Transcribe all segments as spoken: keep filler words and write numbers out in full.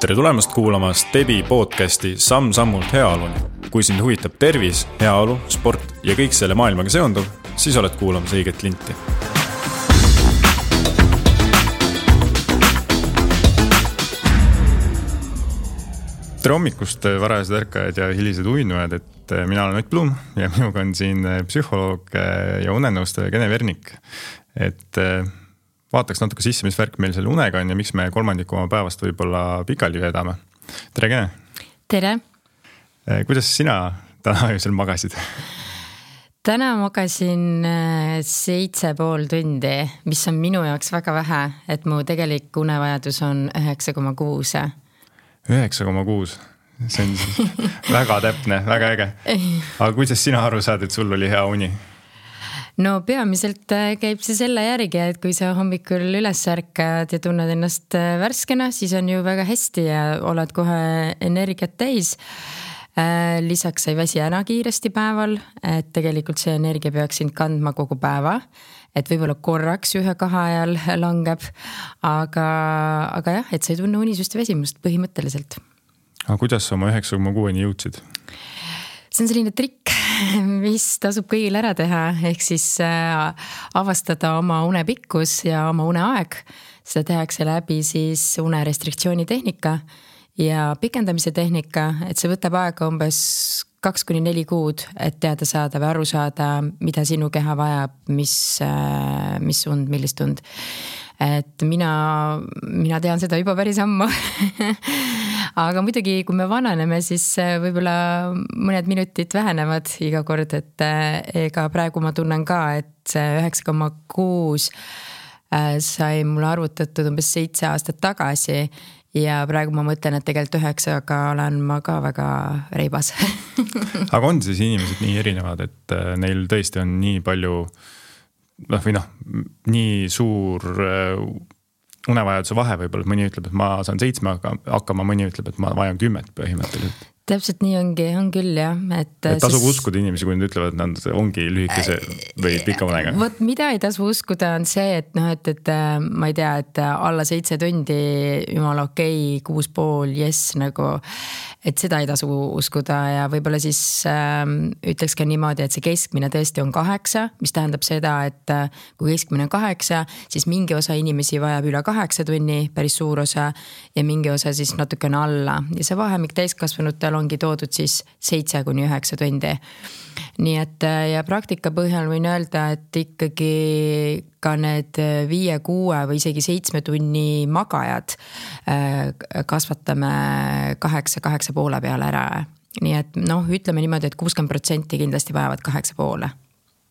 Tere tulemast kuulama Stebi podcasti Samm-sammult heaoluni. Kui sind huvitab tervis, heaolu, sport ja kõik selle maailmaga seonduv, siis oled kuulamas õiget linti. Tere hommikust, varajased ärkajad ja hilised uinujad, et mina olen Ott Blum ja minuga on siin psühholoog ja unenõustaja Gene Vernik. Et vaataks natuke sisse, mis värk meil selle unega on ja miks me kolmandiku oma päevast võib-olla pikali vedame. Tere, Gene! Tere! Kuidas sina täna öösel magasid? Täna magasin seitse pool tundi, mis on minu jaoks väga vähe, et mu tegelik unevajadus on üheksa koma kuus. üheksa koma kuus. See on väga täpne, väga äge. Aga kuidas sina aru saad, et sul oli hea uni? No peamiselt käib see selle järgi, et kui sa hommikul üles ärkad ja tunned ennast värskena, siis on ju väga hästi ja oled kohe energiat täis. Lisaks ei väsi ära kiiresti päeval, et tegelikult see energia peaks sind kandma kogu päeva, et võib-olla korraks ühe kahe ajal langeb, aga, aga jah, et sa ei tunne unisust ja väsimust põhimõtteliselt. Aga kuidas sa oma üheksa koma kuueni jõudsid? See on selline trikk, mis tasub kõigil ära teha, ehk siis avastada oma unepikkus ja oma uneaeg. Seda tehakse läbi siis unerestriktsiooni tehnika ja pikendamise tehnika, et see võtab aega umbes kaks kuni neli kuud, et teada saada või aru saada, mida sinu keha vajab, mis, mis und, millist und. Et mina, mina tean seda juba päris ammu. Aga muidugi, kui me vananeme, siis võib-olla mõned minutid vähenevad iga kord, et ega praegu ma tunnen ka, et see üheksa koma kuus sai mulle arvutatud umbes seitse aastat tagasi ja praegu ma mõtlen, et tegelikult üheksaga olen ma ka väga reibas. Aga on siis inimesed nii erinevad, et neil tõesti on nii palju või noh, nii suur unevajaduse vahe võib-olla, mõni ütleb, et ma saan seitsme hakkama, mõni ütleb, et ma vajan kümmet põhimõtteliselt. Täpselt nii ongi, on küll jah. Et, et tasub siis uskuda inimesi, kui nad ütlevad, et nad ongi lühikese või pika unega. Vot mida ei tasu uskuda on see, et, noh, et, et ma ei tea, et alla seitse tundi jumala okei, kuus pool, yes, nagu, et seda ei tasu uskuda ja võib-olla siis äh, ütleks ka niimoodi, et see keskmine tõesti on kaheksa, mis tähendab seda, et kui keskmine on kaheksa, siis mingi osa inimesi vajab üle kaheksa tunni, päris suur osa ja mingi osa siis natukene alla ja see vahemik täiskasvanutel ongi toodud siis seitse kuni üheksa tundi. Nii et ja praktika põhjal võin öelda, et ikkagi ka need viie, kuue või isegi seitsme tunni magajad kasvatame kaheksa, kaheksa poole peale ära. Nii et noh, ütleme niimoodi, et kuuskümmend protsenti kindlasti vajavad kaheksa poole.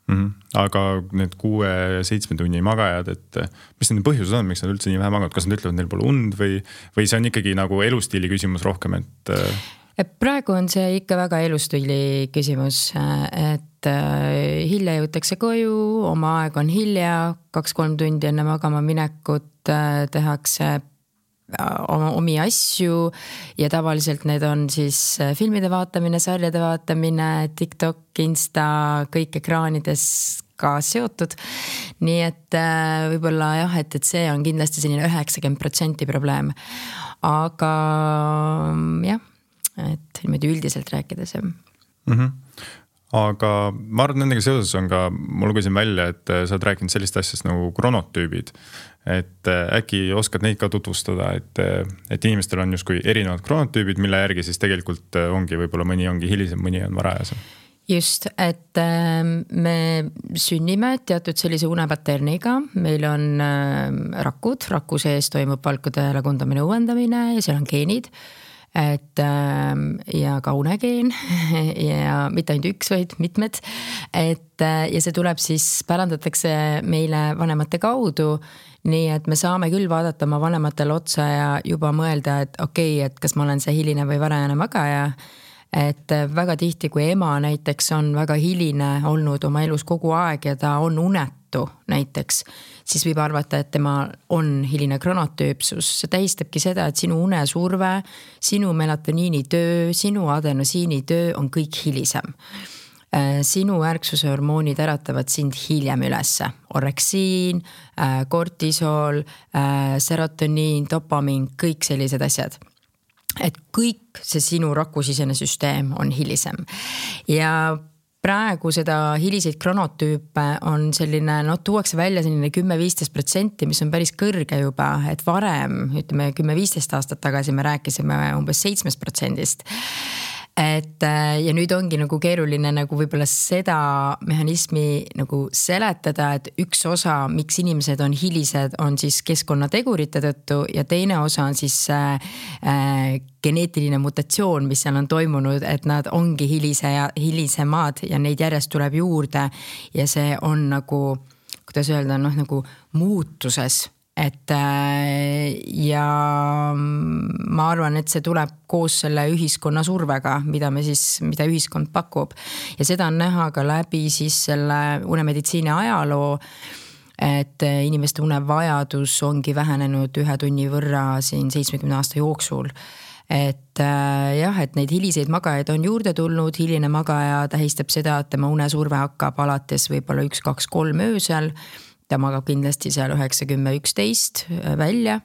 Mm-hmm. Aga need kuue, seitsme tunni magajad, et mis nende põhjused on, miks nad üldse nii vähe magavad? Kas nad ütlevad, neil pole und või, või see on ikkagi nagu elustiili küsimus rohkem, et praegu on see ikka väga elustiili küsimus, et hilja jõutakse koju, oma aeg on hilja, kaks-kolm tundi enne magama minekut tehakse omi asju ja tavaliselt need on siis filmide vaatamine, sarjade vaatamine, TikTok, Insta, kõik ekraanides ka seotud. Nii et võib-olla jah, et, et see on kindlasti selline üheksakümmend protsenti probleem. Aga jah, et niimoodi üldiselt rääkides. Mm-hmm. Aga ma arvan, nendega seoses on ka, ma lugesin välja, et sa oled rääkinud sellist asjast nagu kronotüübid, et äkki oskad neid ka tutvustada, et, et inimestel on justkui erinevad kronotüübid, mille järgi siis tegelikult ongi, võib-olla mõni ongi hilisem, mõni on varajasem. Just, et me sünnime teatud sellise unepaterniga, meil on rakud, raku sees toimub valkude lagundamine, uuendamine ja seal on geenid, et ja ka unegeen ja mitte ainult üks, vaid mitmed, et ja see tuleb siis, pärandatakse meile vanemate kaudu, nii et me saame küll vaadata oma vanematele otsa ja juba mõelda, et okei, et kas ma olen see hiline või varajane magaja, et väga tihti, kui ema näiteks on väga hiline olnud oma elus kogu aeg ja ta on unetu näiteks, siis võib arvata, et tema on hiline kronotüüpsus. See tähistabki seda, et sinu unesurve, sinu melatoniini töö, sinu adenosiini töö on kõik hilisem. Sinu ärksuse hormoonid äratavad sind hiljem ülesse. Oreksiin, kortisol, serotoniin, dopamiin, kõik sellised asjad. et kõik see sinu rakusisene süsteem on hilisem ja praegu seda hiliseid kronotüüpe on selline, no tuuakse välja selline kümme viisteist protsenti, mis on päris kõrge juba, et varem, ütleme kümme viisteist aastat tagasi me rääkisime umbes seitsmest protsendist. Et ja nüüd ongi nagu keeruline nagu võib-olla seda mehhanismi nagu seletada, et üks osa, miks inimesed on hilised, on siis keskkonnategurite tõttu ja teine osa on siis äh, geneetiline mutatsioon, mis seal on toimunud, et nad ongi hilise ja hilisemad ja neid järjest tuleb juurde ja see on nagu, kuidas öelda, noh nagu muutuses. Et ja ma arvan, et see tuleb koos selle ühiskonna survega, mida me siis, mida ühiskond pakub ja seda on näha ka läbi siis selle unemeditsiini ajaloo, et inimeste unevajadus ongi vähenenud ühe tunni võrra siin seitsmekümne aasta jooksul. Et jah, et neid hiliseid magajaid on juurde tulnud, hiline magaja tähistab seda, et tema unesurve hakkab alates võib-olla üks, kaks, kolm öösel. Ta magab kindlasti seal üheksa, kümme, üksteist välja.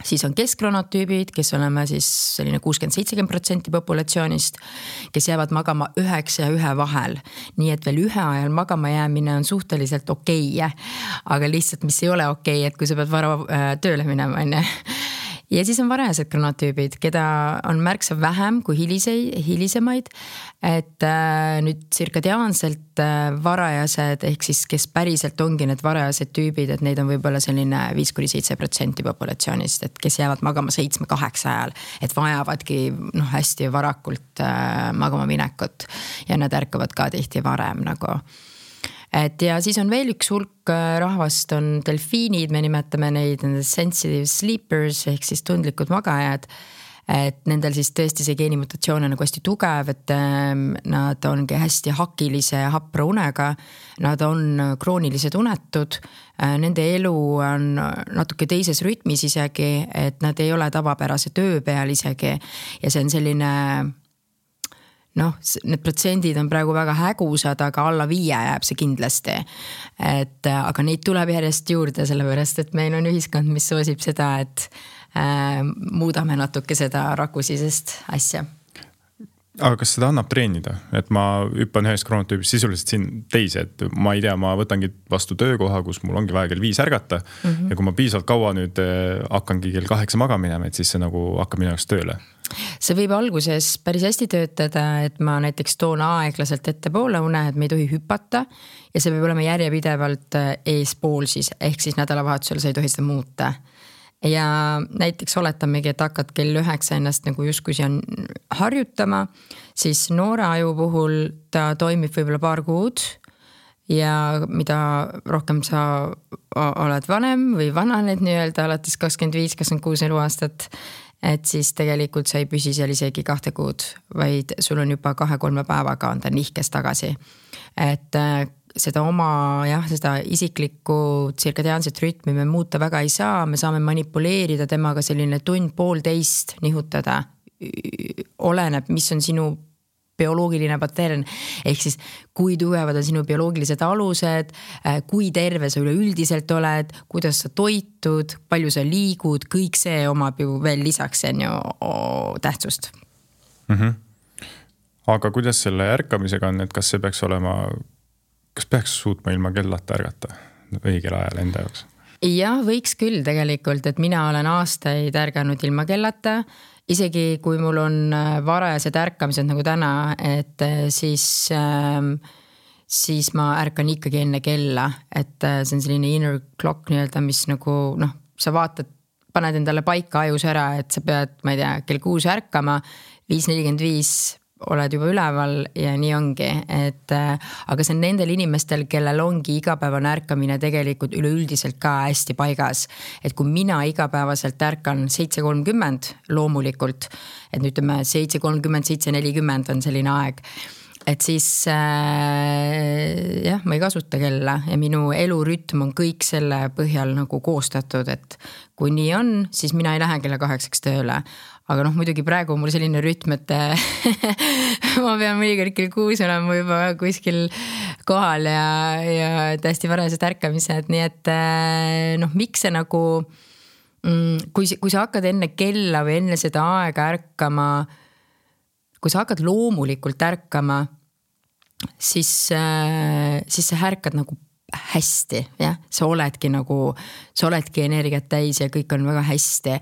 Siis on keskkronotüübid, kes oleme siis selline kuuskümmend seitsekümmend protsenti populatsioonist, kes jäävad magama üheksa ja ühe vahel. Nii et veel ühe ajal magama jäämine on suhteliselt okei, aga lihtsalt mis ei ole okei, et kui sa pead vara tööle minema, enne. Ja siis on varajased kronotüübid, keda on märksa vähem kui hilisei, hilisemaid, et äh, nüüd tsirkadiaanselt äh, varajased, ehk siis kes päriselt ongi need varajased tüübid, et neid on võib-olla selline viis kuni seitse protsenti populatsioonist, et kes jäävad magama seitsme kaheksa ajal, et vajavadki noh, hästi varakult äh, magama minekut ja nad ärkavad ka tihti varem nagu. Et ja siis on veel üks hulk rahvast on delfiinid, me nimetame neid sensitive sleepers ehk siis tundlikud magajad, et nendel siis tõesti see geenimutatsioon on nagu hästi tugev, et nad ongi hästi hakilise hapra unega, nad on kroonilised unetud, nende elu on natuke teises rütmis isegi, et nad ei ole tavapärase töö peal isegi ja see on selline noh, need protsendid on praegu väga hägusad, aga alla viie jääb see kindlasti. Et, aga neid tuleb järjest juurde, sellepärast, et meil on ühiskond, mis soosib seda, et äh, muudame natuke seda rakusisest asja. Aga kas seda annab treenida? Et ma hüppan ühest kronotüübist sisuliselt siin teisi, et ma ei tea, ma võtangi vastu töökoha, kus mul ongi vaja kell viis ärgata mm -hmm. ja kui ma piisavalt kaua nüüd hakkangi kell kaheksa maga minema, et siis see nagu hakkab minu jaoks tööle. See võib alguses päris hästi töötada, et ma näiteks toon aeglaselt ette poole une, et me ei tohi hüpata ja see võib olema järjepidevalt eespool siis, ehk siis nädalavahetusel sa ei tohi seda muuta. Ja näiteks oletamegi, et hakkad kell üheksa ennast nagu justkui on harjutama, siis noore aju puhul ta toimib võib-olla paar kuud ja mida rohkem sa oled vanem või vananed nii-öelda alates kakskümmend viis, kakskümmend kuus eluaastat, et siis tegelikult sa ei püsi seal isegi kahte kuud, vaid sul on juba kahe-kolme päevaga on ta nihkes tagasi. Et seda oma, jah, seda isiklikku tsirkadiaanset rütmi me muuta väga ei saa, me saame manipuleerida temaga selline tund poolteist nihutada, oleneb, mis on sinu bioloogiline patern, ehk siis kui tugevad on sinu bioloogilised alused, kui terve sa üleüldiselt oled, kuidas sa toitud, palju sa liigud, kõik see omab ju veel lisaks see on ju tähtsust. Mm-hmm. Aga kuidas selle ärkamisega on, et kas see peaks olema kas peaks suutma ilma kellata ärgata õigel ajal enda jaoks? Jah, võiks küll tegelikult, et mina olen aastaid ärganud ilma kellata, isegi kui mul on varajased ärkamised nagu täna, et siis, siis ma ärkan ikkagi enne kella, et see on selline inner clock nii-öelda, mis nagu noh, sa vaatad, paned endale paika ajus ära, et sa pead, ma ei tea, kell kuus ärkama, viis nelikümmend viis oled juba üleval ja nii ongi, et aga see on nendel inimestel, kellel ongi igapäevane ärkamine tegelikult üleüldiselt ka hästi paigas, et kui mina igapäevaselt ärkan seitse kolmkümmend loomulikult, et nüüd ütleme seitse kolmkümmend, seitse nelikümmend on selline aeg, et siis äh, jah, ma ei kasuta kella ja minu elurütm on kõik selle põhjal nagu koostatud, et kui nii on, siis mina ei lähe kella kaheksaks tööle. Aga noh, muidugi praegu on mul selline rütm, et ma pean mõnikord kell kuus olema juba kuskil kohal ja, ja täiesti varased ärkamised, nii et noh, miks see nagu kui, kui sa hakkad enne kella või enne seda aega ärkama, kui sa hakkad loomulikult ärkama, siis, siis sa ärkad nagu hästi, jah, sa oledki nagu, sa oledki energiat täis ja kõik on väga hästi.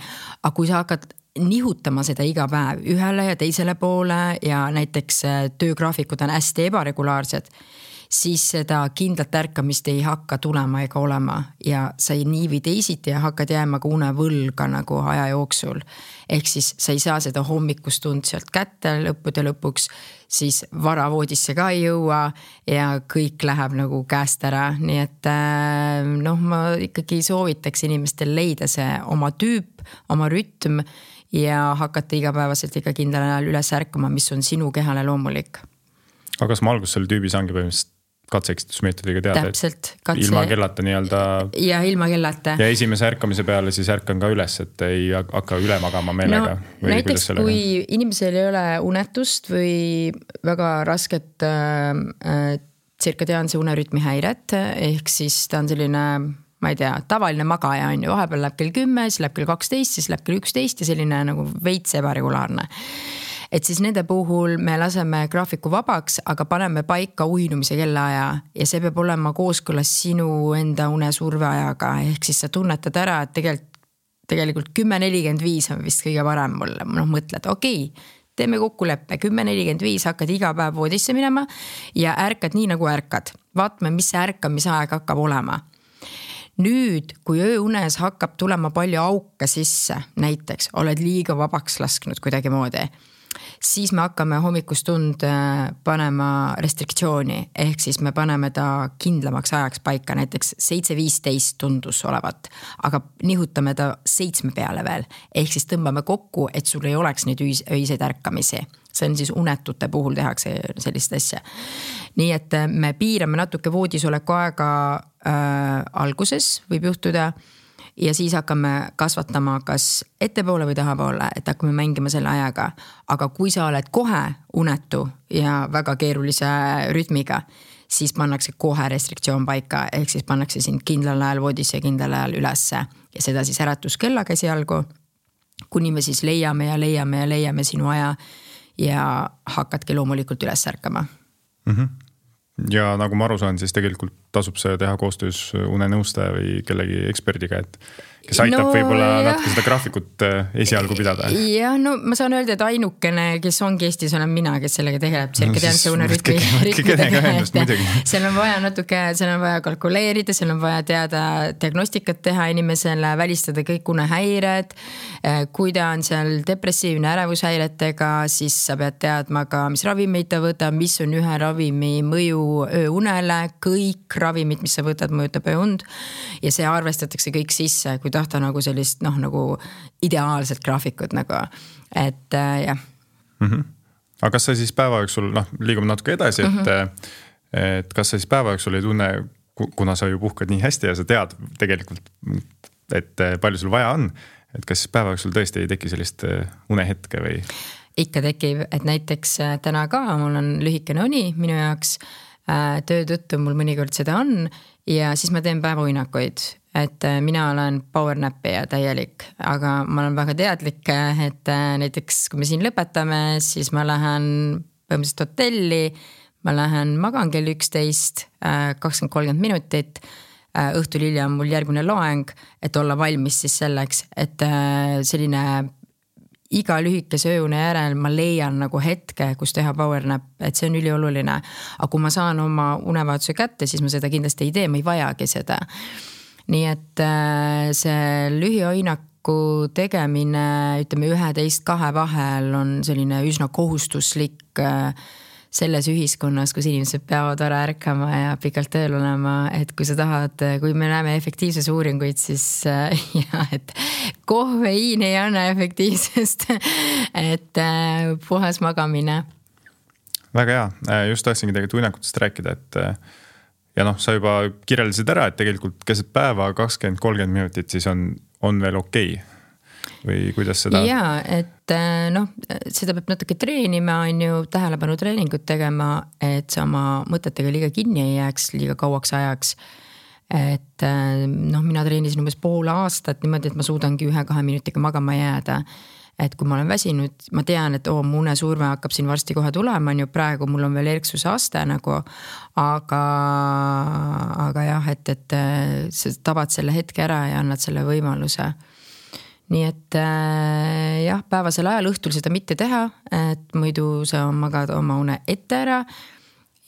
Aga kui sa hakkad nihutama seda iga päev ühele ja teisele poole ja näiteks töögraafikud on hästi ebaregulaarsed, siis seda kindlat ärkamist ei hakka tulema ega olema ja sa ei nii või teisiti ja hakkad jääma ka unevõlga nagu aja jooksul. Ehk siis sa ei saa seda hommikustund sealt kätte lõppude lõpuks, siis varavoodisse ka ei jõua ja kõik läheb nagu käest ära. Nii et noh, ma ikkagi soovitaks inimestel leida see oma tüüp, oma rütm ja hakata igapäevaselt ikka kindlal ajal üles ärkama, mis on sinu kehale loomulik. Aga kas ma alguses selle tüübi saangi põhimõtteliselt katseeksitusmeetodiga teada, täpselt, katse... ilma kellata nii-öelda ja ilma kellata ja esimese ärkamise peale siis ärkan ka üles, et ei hakka üle magama meelega no, või näiteks kui inimesel ei ole unetust või väga rasket äh, tsirkadiaanse unerütmi häiret, ehk siis ta on selline ma ei tea, tavaline magaja on ju, vahepeal läheb kell kümme, siis läheb kell kaksteist, siis läheb kell üksteist ja selline nagu veits ebaregulaarne. Et siis nende puhul me laseme graafiku vabaks, aga paneme paika uinumise kellaaja ja see peab olema kooskõlas sinu enda unesurve ajaga. Ehk siis sa tunnetad ära, et tegelikult, tegelikult kümme nelikümmend viis on vist kõige parem mulle. Noh, mõtled, okei, okay, teeme kokkuleppe, kümme nelikümmend viis hakkad iga päev voodisse minema ja ärkad nii nagu ärkad. Vaatame, mis see ärkamise aeg hakkab olema. Nüüd, kui ööunes hakkab tulema palju auke sisse, näiteks oled liiga vabaks lasknud kuidagi moodi, siis me hakkame hommikustund panema restriktsiooni, ehk siis me paneme ta kindlamaks ajaks paika, näiteks seitse viisteist tundus olevat, aga nihutame ta seitsme peale veel, ehk siis tõmbame kokku, et sul ei oleks neid öiseid ärkamisi. See on siis unetute puhul tehakse sellist asja. Nii et me piirame natuke voodisoleku aega äh, alguses, võib juhtuda, ja siis hakkame kasvatama kas ettepoole või tahapoole, et hakkame mängima selle ajaga. Aga kui sa oled kohe unetu ja väga keerulise rütmiga, siis pannakse kohe restriktsioon paika, ehk siis pannakse sind kindlal ajal voodisse ja kindlal ajal ülesse. Ja seda siis äratuskellaga esialgu, kuni me siis leiame ja leiame ja leiame sinu aja ja hakkadki loomulikult üles ärkama. Mm-hmm. Ja nagu ma aru saan, siis tegelikult tasub see teha koostöös unenõustaja või kellegi eksperdiga, et kes aitab no, võib-olla natuke seda graafikut esialgu pidada. Ja no ma saan öelda, et ainukene, kes ongi Eestis, olen mina, kes sellega tegeleb, tsirkadiaanse no, unerütmi. Seal on vaja natuke, seal on vaja kalkuleerida, seal on vaja teada diagnostikat teha inimesele, välistada kõik unehäired, kui ta on seal depressiivne ärevushäiretega, siis sa pead teadma ka, mis ravimeid ta võtab, mis on ühe ravimi mõju ööunele, kõik ravimid, mis sa võtad, mõjutab ööund ja see arvestatakse kõik sisse, kui tahta nagu sellist, noh, nagu ideaalset graafikut nagu, et äh, jah. Mm-hmm. Aga kas sa siis päeva jooksul, noh, liigume natuke edasi, et, mm-hmm. et kas sa siis päeva jooksul ei tunne, kuna sa ju puhkad nii hästi ja sa tead tegelikult, et palju sul vaja on, et kas päeva jooksul tõesti ei teki sellist unehetke või? Ikka tekib, et näiteks täna ka mul on lühikene uni minu jaoks, töö tõttu mul mõnikord seda on ja siis ma teen päevauinakuid, et mina olen powernappi ja täielik, aga ma olen väga teadlik, et näiteks kui me siin lõpetame, siis ma lähen põhimõtteliselt hotelli, ma lähen magan kell üksteist, kakskümmend kolmkümmend minutit, õhtul hilja on mul järgmine loeng, et olla valmis siis selleks, et selline iga lühikese ööune järel ma leian nagu hetke, kus teha powernap, et see on ülioluline. Aga kui ma saan oma unevaatuse kätte, siis ma seda kindlasti ei tee, ma ei vajagi seda. Nii et see lühioinaku tegemine, ütleme üheteist kahe vahel on selline üsna kohustuslik selles ühiskonnas, kus inimesed peavad ära ärkama ja pikalt tööl olema, et kui sa tahad, kui me näeme efektiivses uuringuid, siis ja, et kohveiin ei anna efektiivsest, et puhas magamine. Väga hea, just tahtsingi tegelikult uinakutest rääkida, et ja noh, sa juba kirjeldasid ära, et tegelikult keset päeva kakskümmend kolmkümmend minutit siis on, on veel okei. Või kuidas seda? Jaa, et noh, seda peab natuke treenima, on ju tähelepanu treeningut tegema, et sa oma mõtetega liiga kinni ei jääks liiga kauaks ajaks. et noh, mina treenisin umbes pool aastat niimoodi, et ma suudangi ühe-kahe minutiga magama jääda. Et kui ma olen väsinud, ma tean, et oo, mu unesurve hakkab siin varsti kohe tulema, on ju praegu mul on veel erksuse aste nagu, aga, aga jah, et, et sa tabad selle hetke ära ja annad selle võimaluse. Nii et jah, päevasel ajal õhtul seda mitte teha, et muidu sa magad oma une ette ära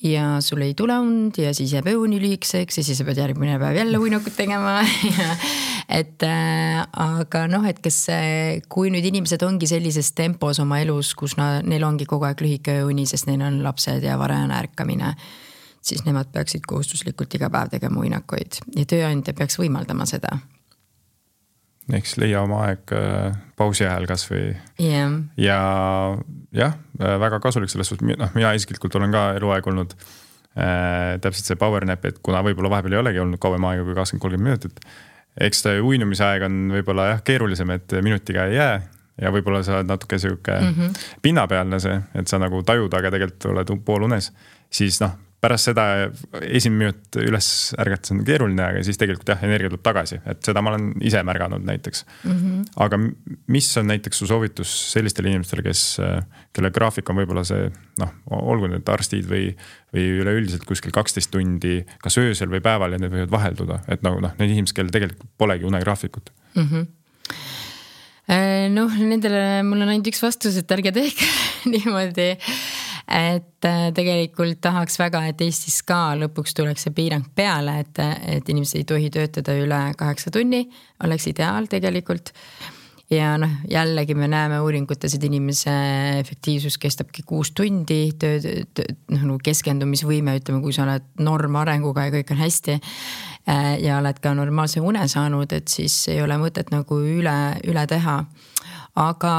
ja sul ei tule und ja siis jääb õuni lühikseks ja siis sa pead järgmine päev jälle uinakut tegema. et äh, aga noh, et kes, kui nüüd inimesed ongi sellises tempos oma elus, kus na, neil ongi kogu aeg lühike uni, sest neil on lapsed ja varajane ärkamine, siis nemad peaksid kohustuslikult iga päev tegema uinakuid ja tööandja peaks võimaldama seda. Eks leia oma aeg pausi ajal kas või yeah. ja jah, väga kasulik selles suhtes, noh, mina isiklikult olen ka eluaeg olnud äh, täpselt see power nap, et kuna võib-olla vahepeal ei olegi olnud kauem aega kui kakskümmend kolmkümmend minutit, eks ta uinumise aeg on võib-olla jah, keerulisem, et minutiga ei jää ja võib-olla sa oled natuke siuke mm-hmm. pinnapealne see, et sa nagu tajud, aga tegelikult oled pool unes, siis noh, pärast seda esimene minut üles ärgates on keeruline, aga siis tegelikult jah, energia tuleb tagasi, et seda ma olen ise märganud näiteks. Mm-hmm. Aga mis on näiteks su soovitus sellistele inimestele, kes, kelle graafik on võib-olla see, noh, olgu need arstid või, või üleüldiselt kuskil kaksteist tundi, kas öösel või päeval ja need võivad vahelduda, et nagu noh, need inimesed, kel tegelikult polegi unegraafikut. Mm-hmm. Noh, nendele mul on ainult üks vastus, et ärge tehke niimoodi, et tegelikult tahaks väga, et Eestis ka lõpuks tuleks see piirang peale, et, et inimesed ei tohi töötada üle kaheksa tunni, oleks ideaal tegelikult. Ja noh, jällegi me näeme uuringutes, et inimese efektiivsus kestabki kuus tundi, töö, töö, noh, keskendumisvõime, ütleme, kui sa oled norm arenguga ja kõik on hästi ja oled ka normaalse une saanud, et siis ei ole mõtet nagu üle, üle teha. Aga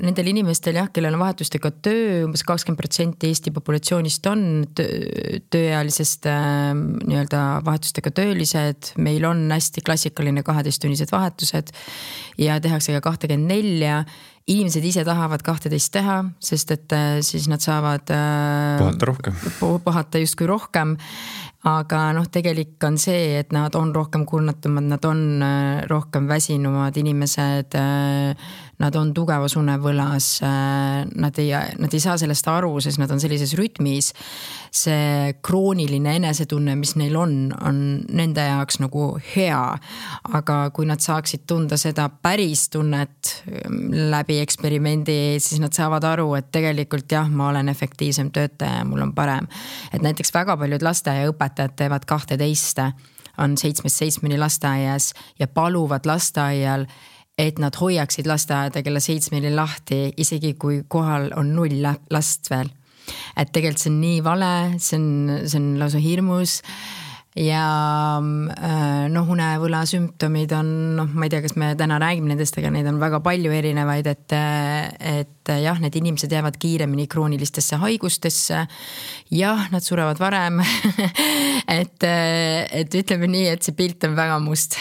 nendel inimestel jah, kellel on vahetustega töö, umbes kakskümmend protsenti Eesti populatsioonist on tööealisest nii-öelda vahetustega töölised. Meil on hästi klassikaline kaheteisttunnised vahetused ja tehakse ka kakskümmend neli. Inimesed ise tahavad kahteteist teha, sest et siis nad saavad puhata rohkem. Puhata justkui rohkem. Aga noh, tegelik on see, et nad on rohkem kurnatumad, nad on rohkem väsinumad inimesed, nad on tugevas unevõlas, nad ei, nad ei saa sellest aru, sest nad on sellises rütmis. See krooniline enesetunne, mis neil on, on nende jaoks nagu hea. Aga kui nad saaksid tunda seda päris tunnet läbi eksperimendi, siis nad saavad aru, et tegelikult jah, ma olen efektiivsem töötaja ja mul on parem. Et näiteks väga paljud laste ja õpetajad teevad kahteteist, on seitsmest seitsmeni lasteaias ja paluvad lasteaial, et nad hoiaksid lasteaeda kella seitsmeni lahti, isegi kui kohal on null last veel. Et tegelikult see on nii vale, see on, see on lausa hirmus ja noh, unevõla sümptomid on, noh, ma ei tea, kas me täna räägime nendest, aga neid on väga palju erinevaid, et, et jah, need inimesed jäävad kiiremini kroonilistesse haigustesse. Jah, nad surevad varem, et, et ütleme nii, et see pilt on väga must.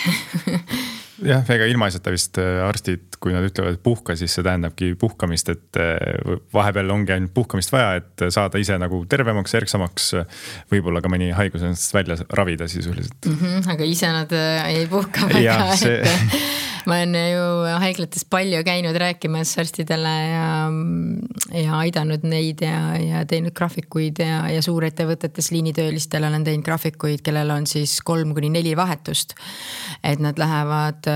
Jah, ega ilmaisata vist arstid, kui nad ütlevad, et puhka, siis see tähendabki puhkamist, et vahepeal ongi ainult puhkamist vaja, et saada ise nagu tervemaks, erksamaks, võib-olla ka mõni haigus ennast välja ravida sisuliselt. Mm-hmm, aga ise nad ei puhka väga, ja, see... et ma olen ju haiglates palju käinud rääkimas arstidele ja, ja aidanud neid ja, ja teinud graafikuid ja, ja suurettevõtetes liinitöölistele olen teinud graafikuid, kellel on siis kolm kuni neli vahetust, et nad lähevad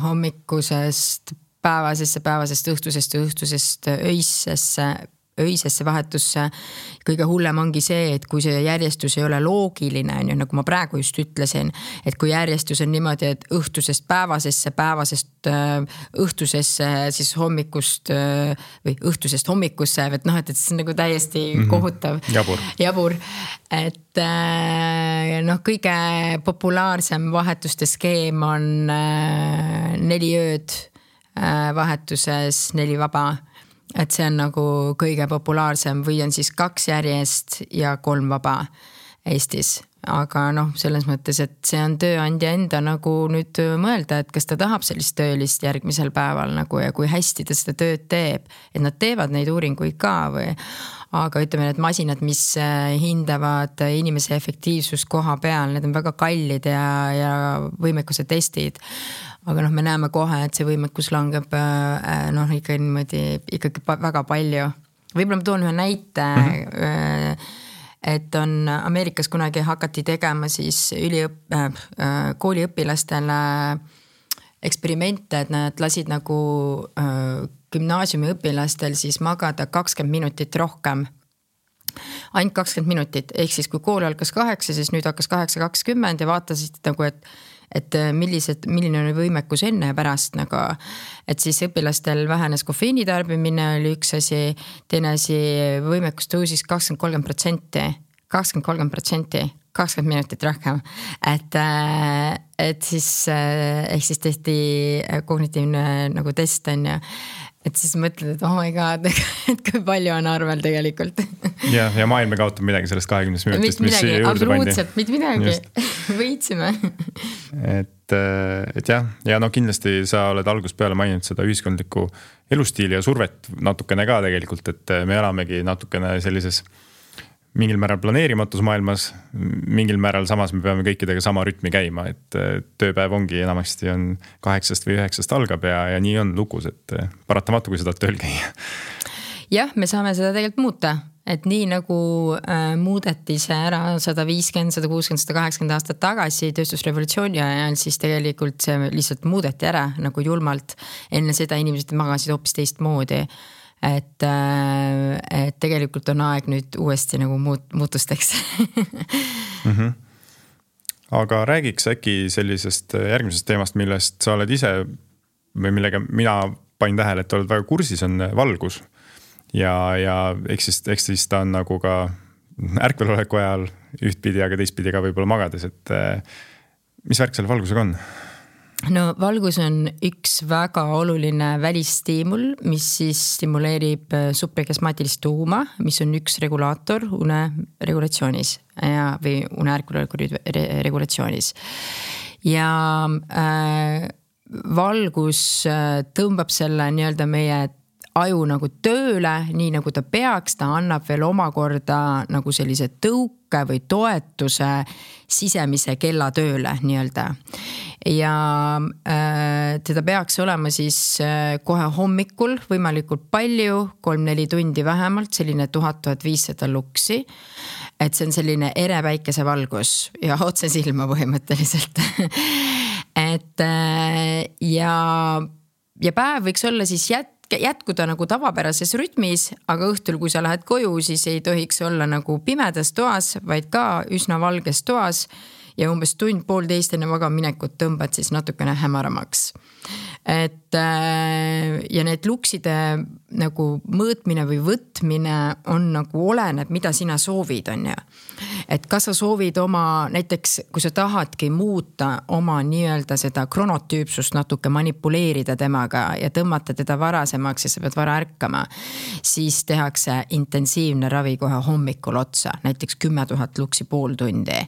hommikusest päevasesse, päevasest õhtusest ja õhtusest öisesse, öisesse vahetusse. Kõige hullem ongi see, et kui see järjestus ei ole loogiline, nagu ma praegu just ütlesin, et kui järjestus on niimoodi, et õhtusest päevasesse, päevasest õhtusesse, siis hommikust või õhtusest hommikusse, et noh, et see on nagu täiesti kohutav. Jabur. Jabur. Et noh, kõige populaarsem vahetuste skeem on neli ööd vahetuses, neli vaba. Et see on nagu kõige populaarsem või on siis kaks järjest ja kolm vaba Eestis. aga noh, selles mõttes, et see on tööandja enda nagu nüüd mõelda, et kas ta tahab sellist töölist järgmisel päeval nagu ja kui hästi ta seda tööd teeb, et nad teevad neid uuringuid ka või. Aga ütleme, need masinad, mis hindavad inimese efektiivsust koha peal, need on väga kallid ja, ja võimekuse testid. Aga noh, me näeme kohe, et see võimekus langeb noh, ikka niimoodi ikkagi väga palju. Võib-olla ma toon ühe näite, mm-hmm. et on Ameerikas kunagi hakati tegema siis üliõp- äh, kooliõpilastele eksperimente, et nad lasid nagu äh, gümnaasiumi õpilastel siis magada kakskümmend minutit rohkem. Ainult kakskümmend minutit, ehk siis kui kool algas kaheksa, siis nüüd hakkas kaheksa kakskümmend ja vaatasid nagu, et, et millised, milline on võimekus enne ja pärast nagu, et siis õpilastel vähenes kofeiini tarbimine oli üks asi, teine asi võimekus tõusis kakskümmend kolm protsenti, kakskümmend kolm protsenti, kakskümmend minutit rohkem, et, et siis, ehk siis tehti kognitiivne nagu test on ja et siis mõtled, et oh my god, et kui palju on arvel tegelikult. Ja, ja maailm kaotab midagi sellest kahekümnest minutist, mis siia juurde pandi. Absoluutselt, mitte midagi. Võitsime. Et, et jah, ja no kindlasti sa oled algusest peale maininud seda ühiskondlikku elustiili ja survet natukene ka tegelikult, et me elamegi natukene sellises mingil määral planeerimatus maailmas, mingil määral samas me peame kõikidega sama rütmi käima, et tööpäev ongi enamasti on kaheksast või üheksast algab ja, ja nii on lukus, et paratamatu, kui seda tööl käia. Jah, me saame seda tegelikult muuta, et nii nagu äh, muudeti see ära sada viiskümmend, sada kuuskümmend, sada kaheksakümmend aastat tagasi tööstusrevolutsiooni ajal, siis tegelikult see lihtsalt muudeti ära nagu julmalt. Enne seda inimesed magasid hoopis teist moodi. Et, et tegelikult on aeg nüüd uuesti nagu muut, muutusteks. mm-hmm. Aga räägiks äkki sellisest järgmisest teemast, millest sa oled ise või millega mina panin tähele, et oled väga kursis, on valgus. Ja, ja eks siis, eks siis ta on nagu ka ärkveloleku ajal ühtpidi, aga teistpidi ka võib-olla magades, et mis värk selle valgusega on? No valgus on üks väga oluline välistiimul, mis siis stimuleerib subprekiasmaatilist tuuma, mis on üks regulaator une regulatsioonis ja, või une ärkveloleku regulatsioonis. Ja äh, valgus tõmbab selle nii-öelda meie aju nagu tööle, nii nagu ta peaks, ta annab veel omakorda nagu sellise tõuke või toetuse sisemise kella tööle nii-öelda. Ja äh, teda peaks olema siis äh, kohe hommikul võimalikult palju, kolm-neli tundi vähemalt, selline tuhat viissada luksi. Et see on selline ere päikese valgus ja otse silma põhimõtteliselt. et äh, ja, ja päev võiks olla siis jät jätkuda nagu tavapärases rütmis, aga õhtul, kui sa lähed koju, siis ei tohiks olla nagu pimedas toas, vaid ka üsna valges toas ja umbes tund poolteist enne magaminekut tõmbad siis natukene hämaramaks. Et ja need lukside nagu mõõtmine või võtmine on nagu oleneb, mida sina soovid on ja. Et kas sa soovid oma, näiteks kui sa tahadki muuta oma nii-öelda seda kronotüüpsust natuke manipuleerida temaga ja tõmmata teda varasemaks ja sa pead vara ärkama, siis tehakse intensiivne ravi kohe hommikul otsa, näiteks kümme tuhat luksi pool tundi.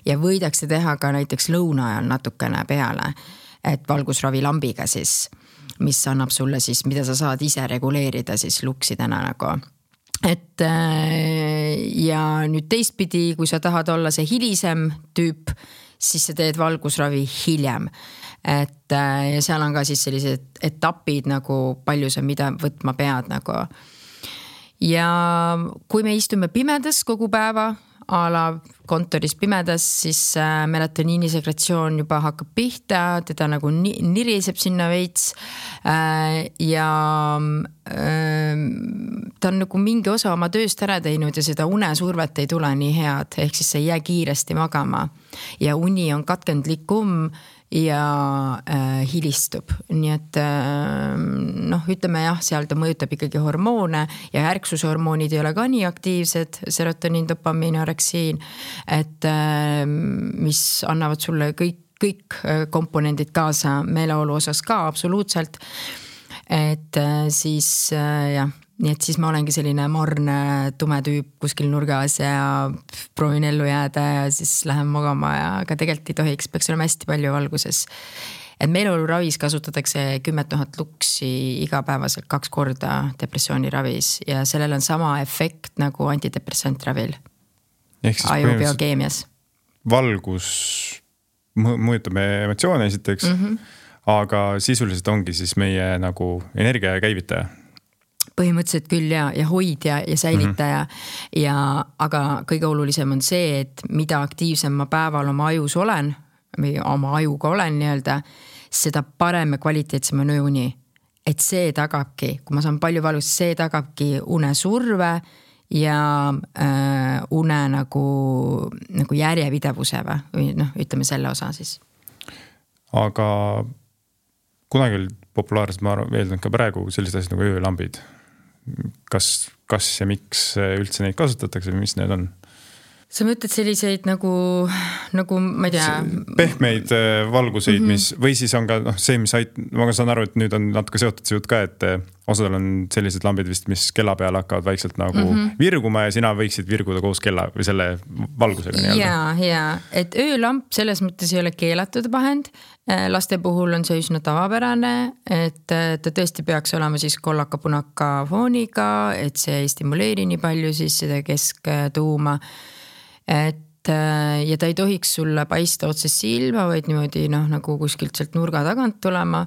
Ja võidakse teha ka näiteks lõuna ajal natukene peale, et valgusravilambiga siis, mis annab sulle siis, mida sa saad ise reguleerida siis luksidena nagu. Et ja nüüd teistpidi, kui sa tahad olla see hilisem tüüp, siis sa teed valgusravi hiljem. Et ja seal on ka siis sellised etapid nagu palju sa mida võtma pead nagu. Ja kui me istume pimedas kogu päeva, a la kontoris pimedas, siis melatoniini sekretsioon juba hakkab pihta, teda nagu niriseb sinna veits ja ta on nagu mingi osa oma tööst ära teinud ja seda unesurvet ei tule nii head, ehk siis see ei jää kiiresti magama ja uni on katkendlikum ja äh, hilistub. Nii et äh, noh, ütleme jah, seal ta mõjutab ikkagi hormoone ja ärksushormoonid ei ole ka nii aktiivsed, serotoniin, dopamiin, oreksiin, et äh, mis annavad sulle kõik, kõik komponendid kaasa meeleolu osas ka absoluutselt. Et äh, siis äh, jah, nii et siis ma olengi selline morne tume tüüp kuskil nurgas ja proovin ellu jääda ja siis lähen magama ja aga tegelikult ei tohiks, peaks olema hästi palju valguses. Et meeleoluravis kasutatakse kümme tuhat luksi igapäevaselt kaks korda depressiooniravis ja sellel on sama efekt nagu antidepressantravil ajubiokeemias. Valgus mõjutab meie emotsioone esiteks, mm-hmm. aga sisuliselt ongi siis meie nagu energia käivitaja. Põhimõtteliselt küll ja, ja hoidja ja säilitaja mm-hmm. ja aga kõige olulisem on see, et mida aktiivsem ma päeval oma ajus olen või oma ajuga olen nii-öelda, seda parem ja kvaliteetsem on ööuni. Et see tagabki, kui ma saan palju valust, see tagabki une surve ja äh, une nagu, nagu järjepidevuse või noh, ütleme selle osa siis. Aga kunagi oli populaarselt, ma veeldan ka praegu sellised asjad nagu öölambid. Kas, kas ja miks üldse neid kasutatakse või mis need on? Sa mõtled selliseid nagu, nagu ma ei tea... Pehmeid valguseid, mm-hmm. mis, või siis on ka no, see, mis ait, ma saan aru, et nüüd on natuke seotud see jutt ka, et osadel on sellised lambid vist, mis kella peal hakkavad vaikselt nagu mm-hmm. virguma ja sina võiksid virguda koos kella või selle valgusega. Ja, ja, et öölamp selles mõttes ei ole keelatud vahend. Laste puhul on see üsna tavapärane, et ta tõesti peaks olema siis kollaka-punaka fooniga, et see ei stimuleeri nii palju siis seda kesktuuma. Et ja ta ei tohiks sulle paista otse silma, vaid niimoodi noh, nagu kuskilt sealt nurga tagant tulema.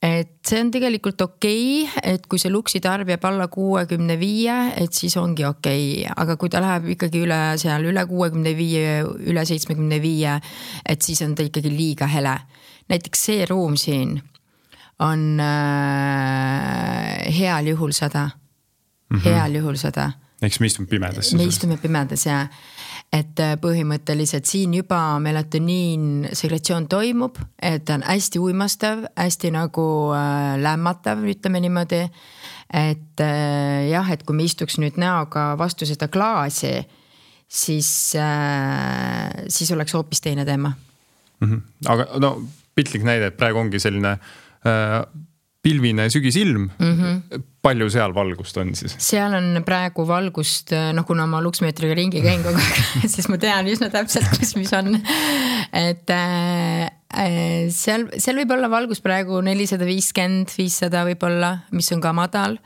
Et see on tegelikult okei, et kui see luksi tarb jääb alla kuuekümne viie, et siis ongi okei. Aga kui ta läheb ikkagi üle seal üle kuuekümne viie, üle seitsmekümne viie, et siis on ta ikkagi liiga hele. Näiteks see ruum siin on äh, heal juhul sada. Mm-hmm. Heal juhul sada. Eks me istume pimedas. Me istume pimedas ja et põhimõtteliselt siin juba melatoniin segretsioon toimub, et ta on hästi uimastav, hästi nagu äh, lämmatav, ütleme niimoodi, et äh, jah, et kui me istuks nüüd näoga vastu seda klaasi, siis, äh, siis oleks hoopis teine teema. Mm-hmm. Aga no pitlik näide, et praegu ongi selline äh, pilvine sügisilm, mm-hmm. palju seal valgust on siis? Seal on praegu valgust, noh kuna ma luksmeetriga ringi käin kogu aeg, siis ma tean üsna täpselt, kus mis on. Et äh, seal, seal võib olla valgust praegu nelisada viiskümmend, viissada võib olla, mis on ka madal.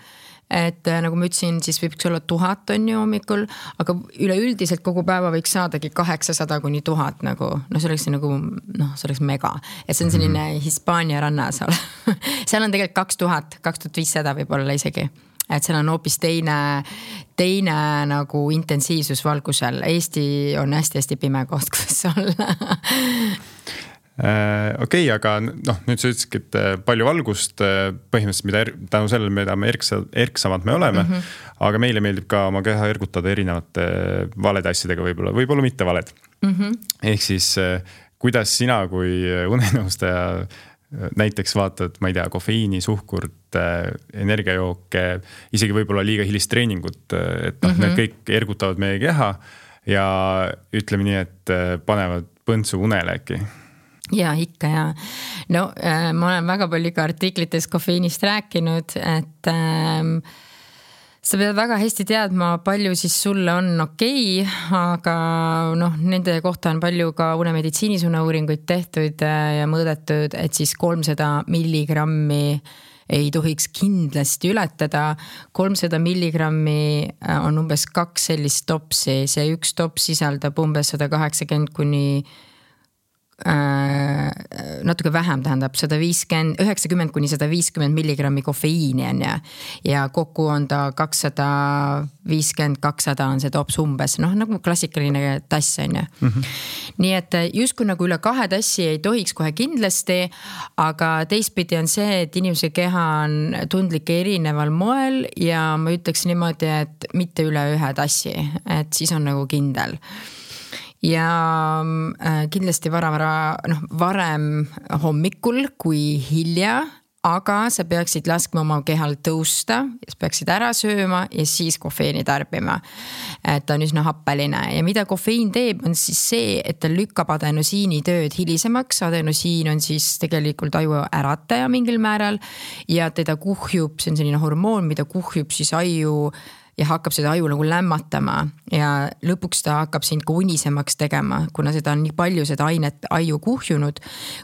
Et nagu ma ütlesin, siis võiks olla tuhat on ju hommikul, aga üleüldiselt kogu päeva võiks saadagi kaheksasada kuni tuhat nagu, no see oleks nagu, noh, see oleks mega. Et see on selline Hispaania rannas. Seal on tegelikult kaks tuhat, kaks tuhat viissada võib olla isegi. Et seal on hoopis teine, teine nagu intensiivsus valgusel. Eesti on hästi-hästi pime koht, kus olla. Okei, okay, aga noh, nüüd sa ütlesidki, et palju valgust põhimõtteliselt, mida er, tänu sellele, mida me erksa, erksamad me oleme, mm-hmm. aga meile meeldib ka oma keha ergutada erinevate valede asjadega võib-olla, võib-olla mitte valed. Mm-hmm. Ehk siis, kuidas sina kui unenõustaja näiteks vaatad, ma ei tea, kofeiini, suhkurt, energiajooke, isegi võib-olla liiga hilist treeningut, et noh, mm-hmm. need kõik ergutavad meie keha ja ütleme nii, et panevad põntsu unele äkki. Ja ikka ja. No äh, ma olen väga palju ka artiklites kofeiinist rääkinud, et äh, sa pead väga hästi teadma, palju siis sulle on okei, aga noh, nende kohta on palju ka unemeditsiinis uneuuringuid tehtud ja mõõdetud, et siis kolmsada milligrammi ei tohiks kindlasti ületada. kolmsada milligrammi on umbes kaks sellist topsi, see üks tops sisaldab umbes sada kaheksakümmend kuni natuke vähem tähendab sada viiskümmend, üheksakümmend kuni sada viiskümmend milligrammi kofeiini on ja, ja kokku on ta kakssada viiskümmend, kakssada on see tops umbes, noh nagu klassikaline tass on ja. Mm-hmm. Nii et justkui nagu üle kahe tassi ei tohiks kohe kindlasti, aga teistpidi on see, et inimese keha on tundlik erineval moel ja ma ütleks niimoodi, et mitte üle ühe tassi, et siis on nagu kindel. Ja kindlasti vara, vara, noh, varem hommikul kui hilja, aga sa peaksid laskma oma kehal tõusta, sa peaksid ära sööma ja siis kofeini tarbima. Et ta on üsna happeline ja mida kofeiin teeb, on siis see, et ta lükkab adenosiini tööd hilisemaks. Adenosiin on siis tegelikult aju ärataja mingil määral ja teda kuhjub, see on selline hormoon, mida kuhjub siis aju ja hakkab seda aju nagu lämmatama ja lõpuks ta hakkab sind ka unisemaks tegema, kuna seda on nii palju seda ainet aju kuhjunud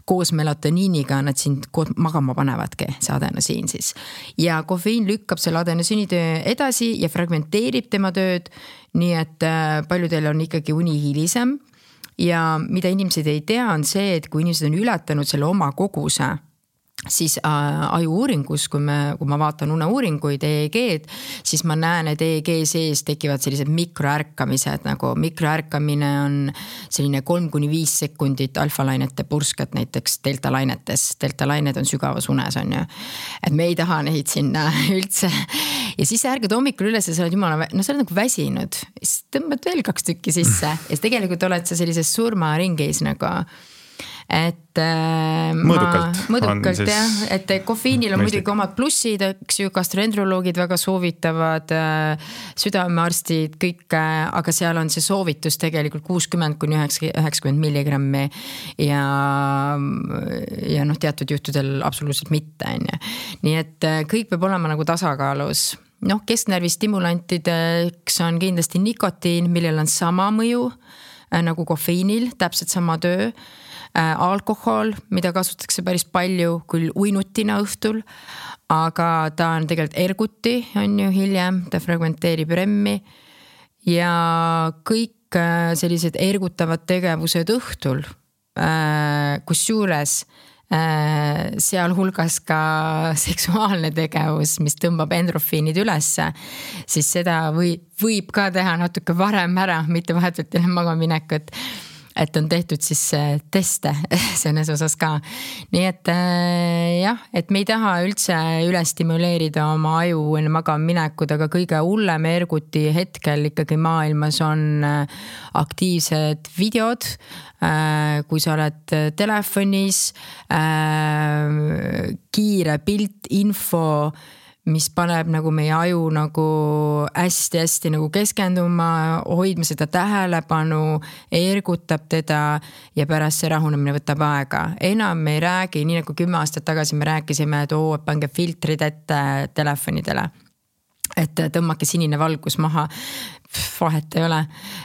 koos melatoniiniga, nad sind magama panevadki, see adenosiin siis. Ja kofeiin lükkab selle adenosiini töö edasi ja fragmenteerib tema tööd, nii et paljudel on ikkagi uni hilisem ja mida inimesed ei tea on see, et kui inimesed on ületanud selle oma koguse, siis äh, aju uuringus, kui, me, kui ma vaatan uneuuringuid, E E G-d, siis ma näen, et E E G sees tekivad sellised mikroärkamised, nagu mikroärkamine on selline kolm kuni viis sekundit alfalainete purskat näiteks deltalainetes. Deltalained on sügavas unes, on ju. Et me ei taha neid sinna üldse. Ja siis ärgad hommikul üles ja sa oled jumala, no sa oled nagu väsinud. Siis tõmbad veel kaks tükki sisse ja siis tegelikult oled sa sellises surmaringis nagu... et äh, mõõdukalt, ma, mõõdukalt siis... jah, et kofeiinil on muidugi omad plussid, eks ju, gastroenteroloogid väga soovitavad, äh, südamearstid, kõik, äh, aga seal on see soovitus tegelikult kuuskümmend kuni üheksakümmend milligrammi ja, ja noh, teatud juhtudel absoluutselt mitte, on ju. Nii et äh, kõik peab olema nagu tasakaalus. Noh, kesknärvi stimulantideks on kindlasti nikotiin, millel on sama mõju äh, nagu kofeiinil, täpselt sama töö. Alkohol, mida kasutatakse päris palju, küll uinutina õhtul, aga ta on tegelikult erguti, on ju hiljem, ta fragmenteerib remmi ja kõik sellised ergutavad tegevused õhtul, kus juures sealhulgas ka seksuaalne tegevus, mis tõmbab endorfiinid ülesse, siis seda või, võib ka teha natuke varem ära, mitte vahetult enne magaminekut. Et on tehtud siis teste selles osas ka. Nii et jah, et me ei taha üldse üle stimuleerida oma aju enne magaminekud, aga kõige hullem erguti hetkel ikkagi maailmas on aktiivsed videod, kui sa oled telefonis, kiire pilt, info, mis paneb nagu meie aju nagu hästi-hästi nagu keskenduma, hoidma seda tähelepanu, ergutab teda ja pärast see rahunemine võtab aega. Enam me ei räägi, nii nagu kümme aastat tagasi me rääkisime, et oo, pange filtrid ette telefonidele. Et tõmmake sinine valgus maha, vahet ei ole.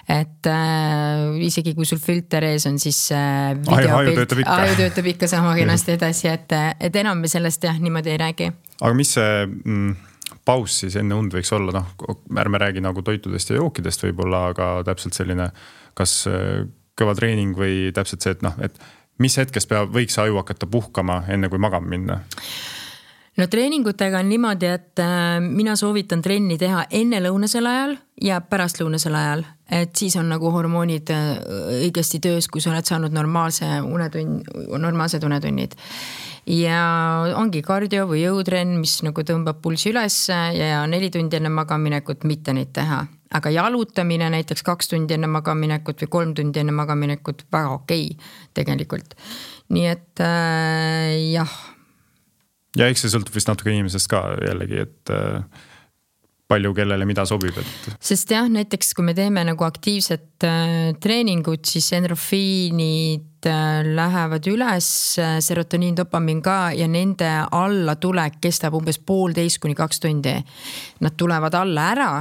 Et äh, isegi kui sul filter ees on, siis äh, aju töötab ikka. Aju töötab ikka sama kenasti edasi, et, et enam me sellest jah, niimoodi ei räägi. Aga mis see mm, paus siis enne und võiks olla? No, ärme räägi nagu toitudest ja jookidest võib-olla, aga täpselt selline, kas kõva treening või täpselt see, et, noh, et mis hetkest peab, võiks aju hakata puhkama enne kui magama minna? No treeningutega on niimoodi, et mina soovitan trenni teha enne lõunasel ajal ja pärast lõunasel ajal. Et siis on nagu hormoonid õigesti töös, kui sa oled saanud normaalse unetund, normaalsed unetunnid. Ja ongi kardio või jõutrenn, mis nagu tõmbab pulsi üles ja neli tundi enne magaminekut mitte neid teha. Aga jalutamine näiteks kaks tundi enne magaminekut või kolm tundi enne magaminekut väga okei tegelikult. Nii et äh, jah. Ja eks see sõltub vist natuke inimesest ka jällegi, et äh, palju kellele mida sobib. Et... Sest jah, näiteks kui me teeme nagu aktiivset äh, treeningut, siis endorfiinid äh, lähevad üles, äh, serotoniin, dopamiin ka ja nende alla tulek kestab umbes poolteist kuni kaks tundi. Nad tulevad alla ära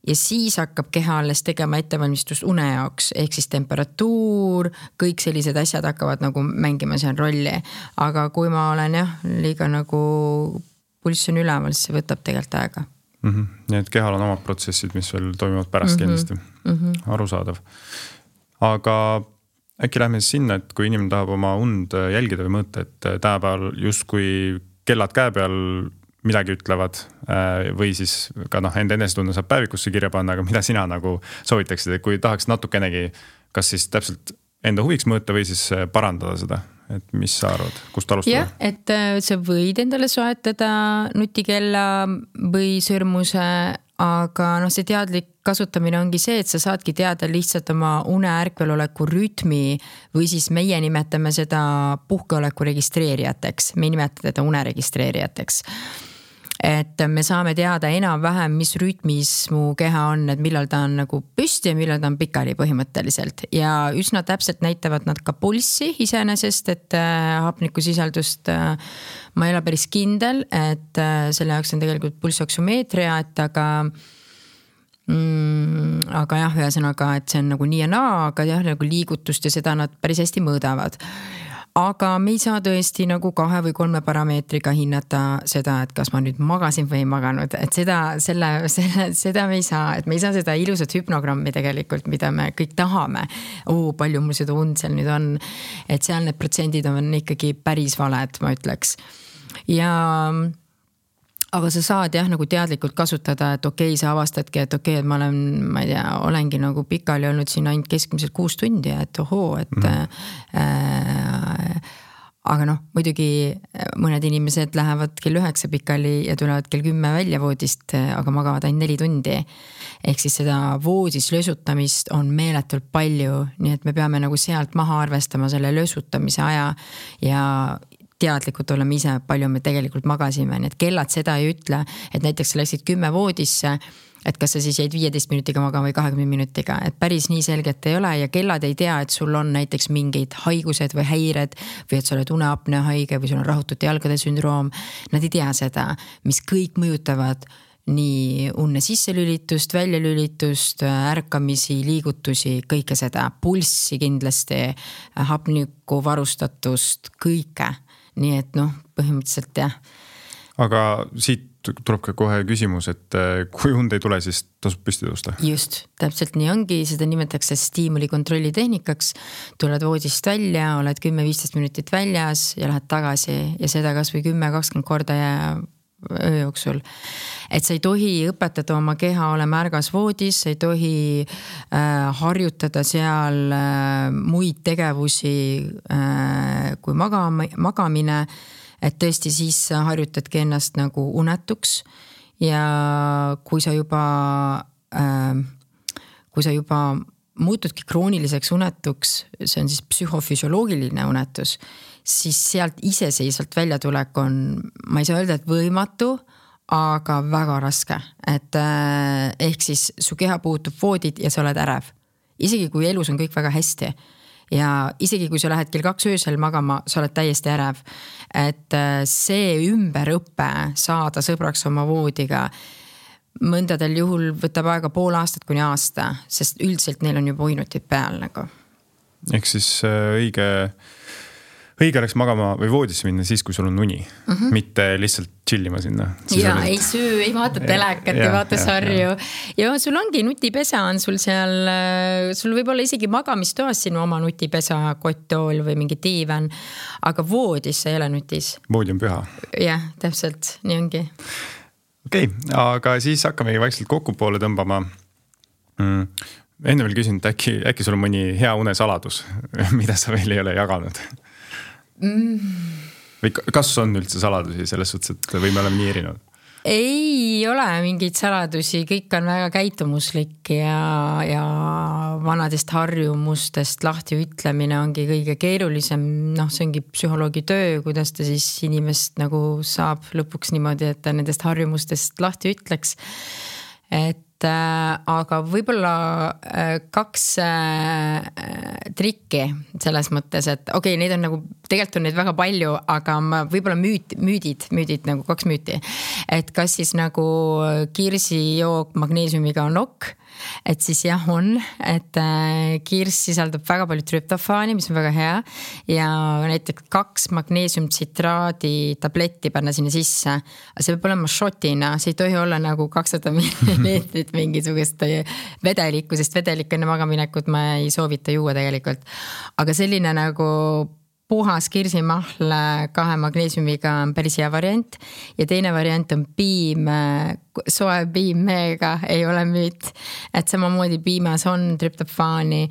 ja siis hakkab keha alles tegema ettevalmistust une jaoks, ehk siis temperatuur, kõik sellised asjad hakkavad nagu mängima seal rolli. Aga kui ma olen jah, liiga nagu pulss on üleval, siis see võtab tegelikult aega. Mm-hmm. Nii et kehal on omad protsessid, mis veel toimuvad pärast mm-hmm. kindlasti. Mm-hmm. Arusaadav. Aga äkki lähme siis sinna, et kui inimene tahab oma und jälgida või mõõta, et tänapäeval justkui kellad käe peal midagi ütlevad või siis ka noh, enda enesetunne saab päevikusse kirja panna, aga mida sina nagu soovitaksid, et kui tahaks natukenegi kas siis täpselt enda huviks mõõta või siis parandada seda, et mis sa arvad, kust alustada? Jah, et sa võid endale soetada nutikella või sõrmuse, aga noh, see teadlik kasutamine ongi see, et sa saadki teada lihtsalt oma une ärkveloleku rütmi või siis meie nimetame seda puhkeoleku registreerijateks, me ei nimeta teda une registreerijateks. Et me saame teada enam-vähem, mis rütmis mu keha on, et millal ta on nagu püsti ja millal ta on pikali põhimõtteliselt. Ja üsna täpselt näitavad nad ka pulssi iseenesest, et hapnikusisaldust ma ei ole päris kindel, et selle jaoks on tegelikult pulssoksümeetria, et aga mm, aga jah, ühesõnaga, et see on nagu nii ja naa, aga jah, nagu liigutust ja seda nad päris hästi mõõdavad. Aga me ei saa tõesti nagu kahe või kolme parameetriga hinnata seda, et kas ma nüüd magasin või ei maganud, et seda, selle, selle, seda me ei saa, et me ei saa seda ilusat hüpnogrammi tegelikult, mida me kõik tahame. Oo, palju mul seda und seal nüüd on, et seal need protsendid on ikkagi päris valed, ma ütleks. Ja aga sa saad jah nagu teadlikult kasutada, et okei, okay, sa avastadki, et okei okay,, et ma olen, ma ei tea, olengi nagu pikali olnud siin ainult keskmiselt kuus tundi, et ohoo, et mm. äh, aga noh, muidugi mõned inimesed lähevad kell üheksa pikali ja tulevad kell kümme välja voodist, aga magavad ainult neli tundi. Ehk siis seda voodis lösutamist on meeletult palju, nii et me peame nagu sealt maha arvestama selle lösutamise aja ja teadlikult oleme ise, palju me tegelikult magasime, nii et kellad seda ei ütle, et näiteks sa läksid kümme voodisse, et kas sa siis jäid viieteist minutiga magama või kahekümne minutiga, et päris nii selgelt ei ole ja kellad ei tea, et sul on näiteks mingeid haigused või häired või et sa oled uneapnea haige või sul on rahutute jalgade sündroom, nad ei tea seda, mis kõik mõjutavad nii unne sisselülitust, väljalülitust, ärkamisi, liigutusi, kõike seda, pulssi kindlasti, hapniku varustatust, kõike. Nii et noh, põhimõtteliselt jah. Aga siit tuleb ka kohe küsimus, et kui und ei tule, siis tasub püsti tõusta. Just, täpselt nii ongi, seda nimetatakse stiimuli kontrolli tehnikaks. Tuled voodist välja, oled kümme viisteist minutit väljas ja lähed tagasi ja seda kas või kümme kakskümmend korda ja öö jooksul. Et sa ei tohi õpetada oma keha olema ärgas voodis, sa ei tohi äh, harjutada seal äh, muid tegevusi äh, kui magama, magamine, et tõesti siis harjutadki ennast nagu unetuks ja kui sa juba äh, kui sa juba muutudki krooniliseks unetuks, see on siis psühhofüsioloogiline unetus, siis sealt iseseisvalt väljatulek on, ma ei saa öelda, et võimatu, aga väga raske. Et äh, ehk siis su keha puutub voodid ja sa oled ärev. Isegi kui elus on kõik väga hästi. Ja isegi kui sa lähed kell kaks öösel magama, sa oled täiesti ärev. Et äh, see ümberõppe saada sõbraks oma voodiga mõndadel juhul võtab aega pool aastat kuni aasta, sest üldiselt neil on juba uinutid peal nagu. Ehk siis õige, õige oleks magama või voodisse minna siis, kui sul on uni, mm-hmm. mitte lihtsalt chillima sinna. Ja ei süü, ei vaata telekat, ei vaata sarju. Ja sul ongi nutipesa on sul seal, sul võib olla isegi magamistoas sinu oma nutipesa, kotttool või mingi diivan, aga voodis sa ei ole nutis. Voodi on püha. Jah, täpselt, nii ongi. Okei, okay, aga siis hakkamegi vaikselt kokku poole tõmbama. Mm. Enne veel küsin, et äkki, äkki sul on mõni hea unesaladus, mida sa veel ei ole jaganud? Mm. Või kas on üldse saladusi selles suhtes, et või me oleme nii erinevad? Ei ole mingeid saladusi, kõik on väga käitumuslik ja, ja vanadest harjumustest lahti ütlemine ongi kõige keerulisem. Noh, see ongi psühholoogi töö, kuidas ta siis inimest nagu saab lõpuks niimoodi, et ta nendest harjumustest lahti ütleks. Et aga võib-olla kaks trikki selles mõttes, et okei, okay, neid on nagu, tegelikult on neid väga palju, aga ma võib-olla müüt, müüdid, müüdid nagu kaks müüti. Et kas siis nagu kirsijook magneesiumiga on ok, et siis jah on, et kirs sisaldab väga palju trüptofaani, mis on väga hea ja näiteks kaks magneesiumtsitraadi tabletti panna sinna sisse. See peab olema shotina, see ei tohi olla nagu kakssada milliliitrit mingisugust vedelikku, sest vedelik enne magaminekut ma ei soovita juua tegelikult. Aga selline nagu puhas kirsimahl kahe magneesiumiga on päris hea variant ja teine variant on piim, soe piim meega, ei ole müüt, et samamoodi piimas on trüptofaani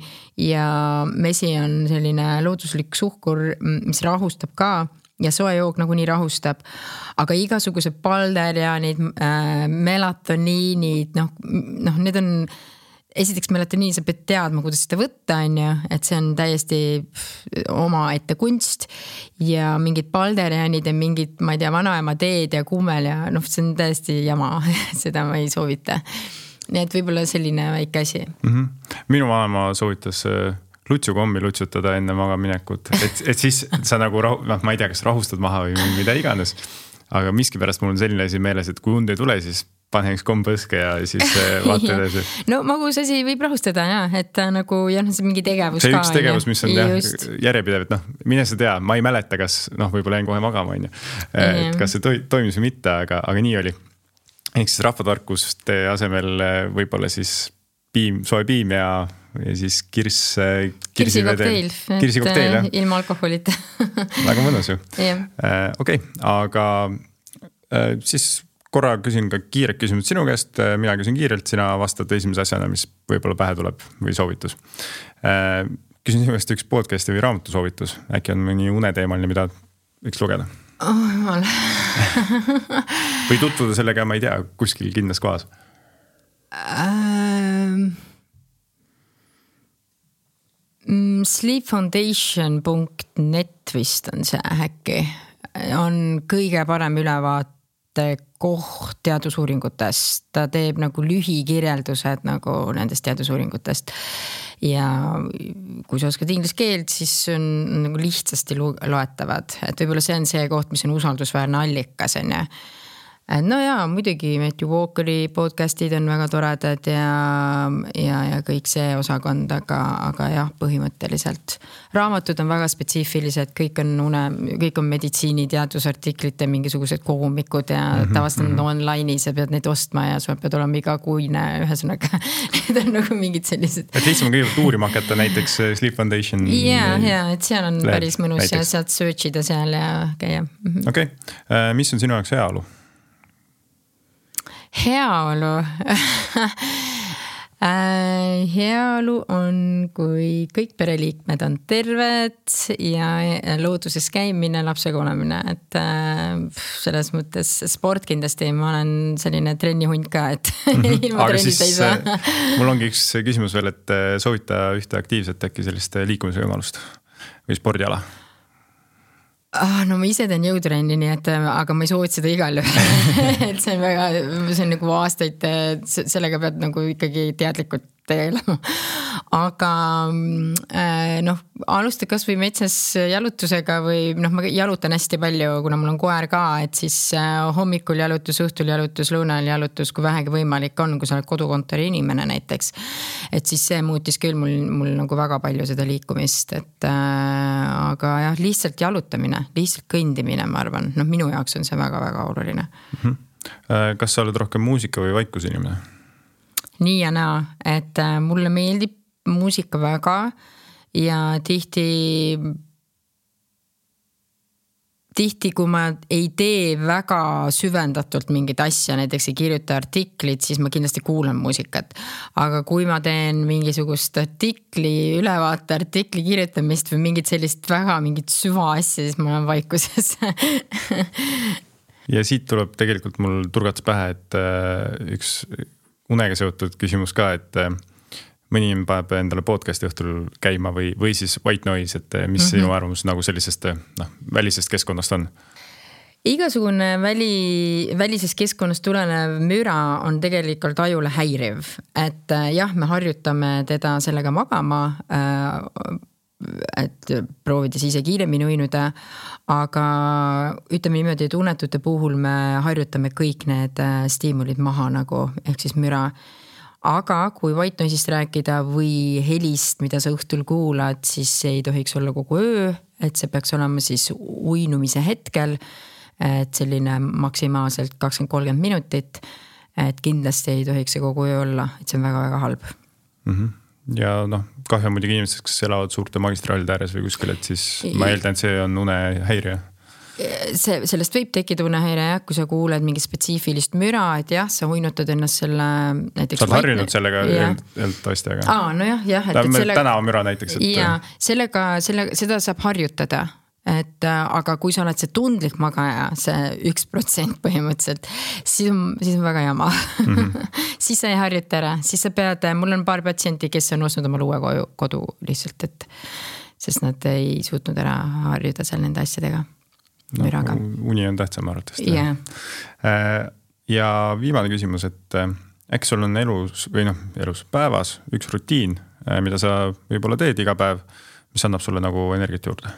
ja mesi on selline looduslik suhkur, mis rahustab ka ja soe jook nagu nii rahustab, aga igasugused balderianid, äh, melatoniinid, noh, noh, need on, esiteks melatoniin, sa pead teadma, kuidas seda võtta, on ju, et see on täiesti oma ette kunst ja mingid balderianid ja mingid, ma ei tea, vanaema teed ja kummel ja noh, see on täiesti jama, seda ma ei soovita. Nii et võib-olla selline väike asi. Mm-hmm. Minu vanaema soovitas lutsukommi lutsutada enne magaminekut, et, et siis sa nagu, noh, ma ei tea, kas rahustad maha või mida iganes, aga miski pärast mul on selline asi meeles, et kui und ei tule, siis pane üks komm põske ja siis vaata edasi. No magus asi võib rahustada, jah, et nagu jah, see mingi tegevus see ka. See üks tegevus, mis on jah, järjepidev, et noh, mine sa tea, ma ei mäleta, kas noh, võib-olla jäin kohe magama, on ju, et kas see toimus või mitte, aga, aga nii oli. Ehk siis rahvatarkuste asemel võib-olla siis piim, soe piim ja, ja siis kirs, kirsikokteil, kirsikokteil, jah. Ilma alkoholita. Väga mõnus ju. Yeah. Okei, okay, aga siis korra küsin ka kiiret küsimus sinu käest, mina küsin kiirelt, sina vastad esimese asjana, mis võib-olla pähe tuleb või soovitus. Küsin sinu käest üks podcasti või raamatu soovitus, äkki on mõni uneteemaline, mida võiks lugeda? Oh, jumal. Või tutvuda sellega, ma ei tea, kuskil kindlas kohas? Um, sleep foundation dot net vist on see äkki. On kõige parem ülevaate koht teadusuuringutest. Ta teeb nagu lühikirjeldused nagu nendest teadusuuringutest. Ja kui sa oskad inglise keelt, siis on nagu lihtsasti loetavad. Et võib-olla see on see koht, mis on usaldusväärne allikas. No jaa, muidugi Matthew Walkeri podcastid on väga toredad ja, ja, ja kõik see osakond, aga, aga jah, põhimõtteliselt. Raamatud on väga spetsiifilised, kõik on, une, kõik on meditsiiniteadusartiklite mingisugused koomikud ja mm-hmm. tavaliselt on online'i, sa pead neid ostma ja sa pead olema iga kuine, ühesõnaga. Need on nagu mingid sellised. Et lihtsam on kõigepealt uurima hakata näiteks Sleep Foundation. Jaa, jaa, et seal on lehed, päris mõnus näiteks. Ja saad searchida seal ja käia. Mm-hmm. Okei, okay. Mis on sinu jaoks heaolu? Heaolu heaolu on, kui kõik pereliikmed on terved ja looduses käimine, lapsega olemine, et selles mõttes sport kindlasti, ma olen selline trennihund ka, et mm-hmm. ilma trennist ei saa. Mul ongi üks küsimus veel, et soovita ühte aktiivset äkki sellist liikumise võimalust või spordiala? Ah, no ma ise teen jõutrenni, nii et, aga ma ei soovita seda igal juhul. Et see on väga, see on nagu aastaid, sellega pead nagu ikkagi teadlikult tegelema. Aga noh, alusta kas või metsas jalutusega või noh, ma jalutan hästi palju, kuna mul on koer ka, et siis hommikul jalutus, õhtul jalutus, lõunal jalutus, kui vähegi võimalik on, kui sa oled kodukontori inimene näiteks. Et siis see muutis küll mul, mul nagu väga palju seda liikumist, et äh, aga jah, lihtsalt jalutamine, lihtsalt kõndimine, ma arvan, noh, minu jaoks on see väga-väga oluline. Mm-hmm. Kas sa oled rohkem muusika või vaikus inimene? Nii ja naa, et mulle meeldib muusika väga ja tihti tihti, kui ma ei tee väga süvendatult mingit asja, näiteks ei kirjuta artiklit, siis ma kindlasti kuulan muusikat. Aga kui ma teen mingisugust artikli, ülevaate artikli kirjutamist või mingit sellist väga mingit süva asja, siis ma olen vaikuses. Ja siit tuleb tegelikult mul turgats pähe, et üks unega seotud küsimus ka, et mõni paneb endale podcasti õhtul käima või, või siis white noise, et mis mm-hmm. sinu arvamus nagu sellisest noh, välisest keskkonnast on? Igasugune väli, välisest keskkonnast tulenev müra on tegelikult ajule häiriv, et jah, me harjutame teda sellega magama, et proovides ise kiiremini uinuda, aga ütleme niimoodi, et unetute puhul me harjutame kõik need stiimulid maha nagu, ehk siis müra. Aga kui white noise'ist rääkida või helist, mida sa õhtul kuulad, siis see ei tohiks olla kogu öö, et see peaks olema siis uinumise hetkel, et selline maksimaalselt kakskümmend kolmkümmend minutit, et kindlasti ei tohiks see kogu öö olla, et see on väga-väga halb. Mm-hmm. Ja noh, kahju on muidugi inimesed, kes elavad suurte magistraalide ääres või kuskil, et siis ma eeldan, et see on unehäirja. See, sellest võib tekkida unehäire, jah, kui sa kuuled mingi spetsiifilist müra, et jah, sa uinutad ennast selle näiteks... Sa oled harjunud sellega eeldavasti, aga... Aa, no jah, jah. Et sellega... Tänava müra näiteks. Et... Ja, sellega, selle, seda saab harjutada. et aga kui sa oled see tundlik magaja, see üks protsent põhimõtteliselt, siis on, siis on väga jama mm-hmm. siis sa ei harjuta ära, siis sa pead, mul on paar patsienti, kes on ostnud oma uue kodu, kodu lihtsalt, et sest nad ei suutnud ära harjuda seal nende asjadega. No, uni on tähtsam arvatavasti. Yeah. Ja viimane küsimus, et äkki sul on elus või noh, elus päevas üks rutiin, mida sa võib-olla teed iga päev, mis annab sulle nagu energiat juurde?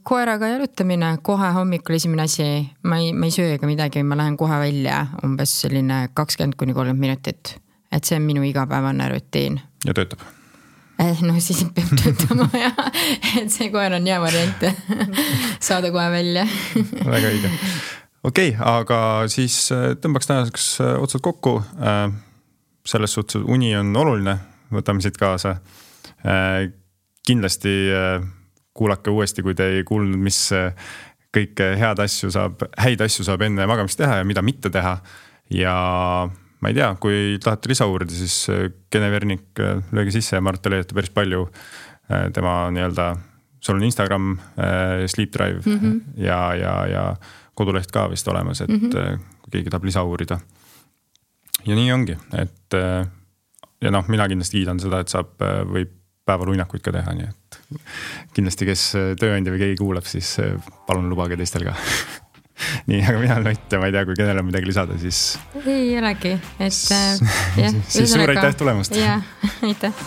Koeraga jalutamine, kohe hommikul esimene asi, ma ei, ma ei söö ega midagi, ma lähen kohe välja umbes selline kakskümmend kuni kolmkümmend minutit, et see on minu igapäevane rutiin. Ja töötab? No siis peab töötama ja et see koer on hea variant saada kohe välja. Väga õige. Okei, okay, aga siis tõmbaks tänaseks otsad kokku. Selles suhtes uni on oluline, võtame siit kaasa. Kindlasti kuulake uuesti, kui te ei kuulnud, mis kõike head asju saab, häid asju saab enne magamist teha ja mida mitte teha. Ja ma ei tea, kui tahate lisa uurida, siis Gene Vernik lööge sisse ja Mart leiate päris palju tema nii-öelda, sul on Instagram, Sleep Drive mm-hmm. ja, ja, ja koduleht ka vist olemas, et mm-hmm. kui keegi tahab lisa uurida. Ja nii ongi, et ja noh, mina kindlasti kiidan seda, et saab või päeval uinakuid ka teha, nii et kindlasti, kes tööandja või keegi kuulab, siis palun lubage teistel ka. Nii, aga mina olen Ott ja ma ei tea, kui kellel on midagi lisada, siis... Ei olegi, et... Jah, siis suur aitäh tulemast. Jah, aitäh.